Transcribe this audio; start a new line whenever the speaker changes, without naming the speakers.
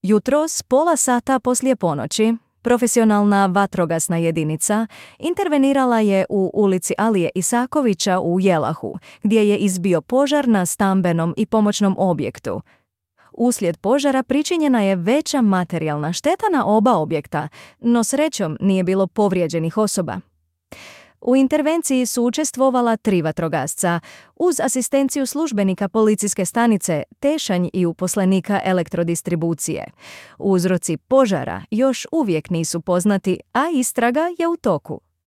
Jutros, pola sata poslije ponoći, profesionalna vatrogasna jedinica intervenirala je u ulici Alije Isakovića u Jelahu, gdje je izbio požar na stambenom i pomoćnom objektu. Uslijed požara pričinjena je veća materijalna šteta na oba objekta, no srećom nije bilo povrijeđenih osoba. U intervenciji su učestvovala 3 vatrogasca, uz asistenciju službenika policijske stanice Tešanj i uposlenika elektrodistribucije. Uzroci požara još uvijek nisu poznati, a istraga je u toku.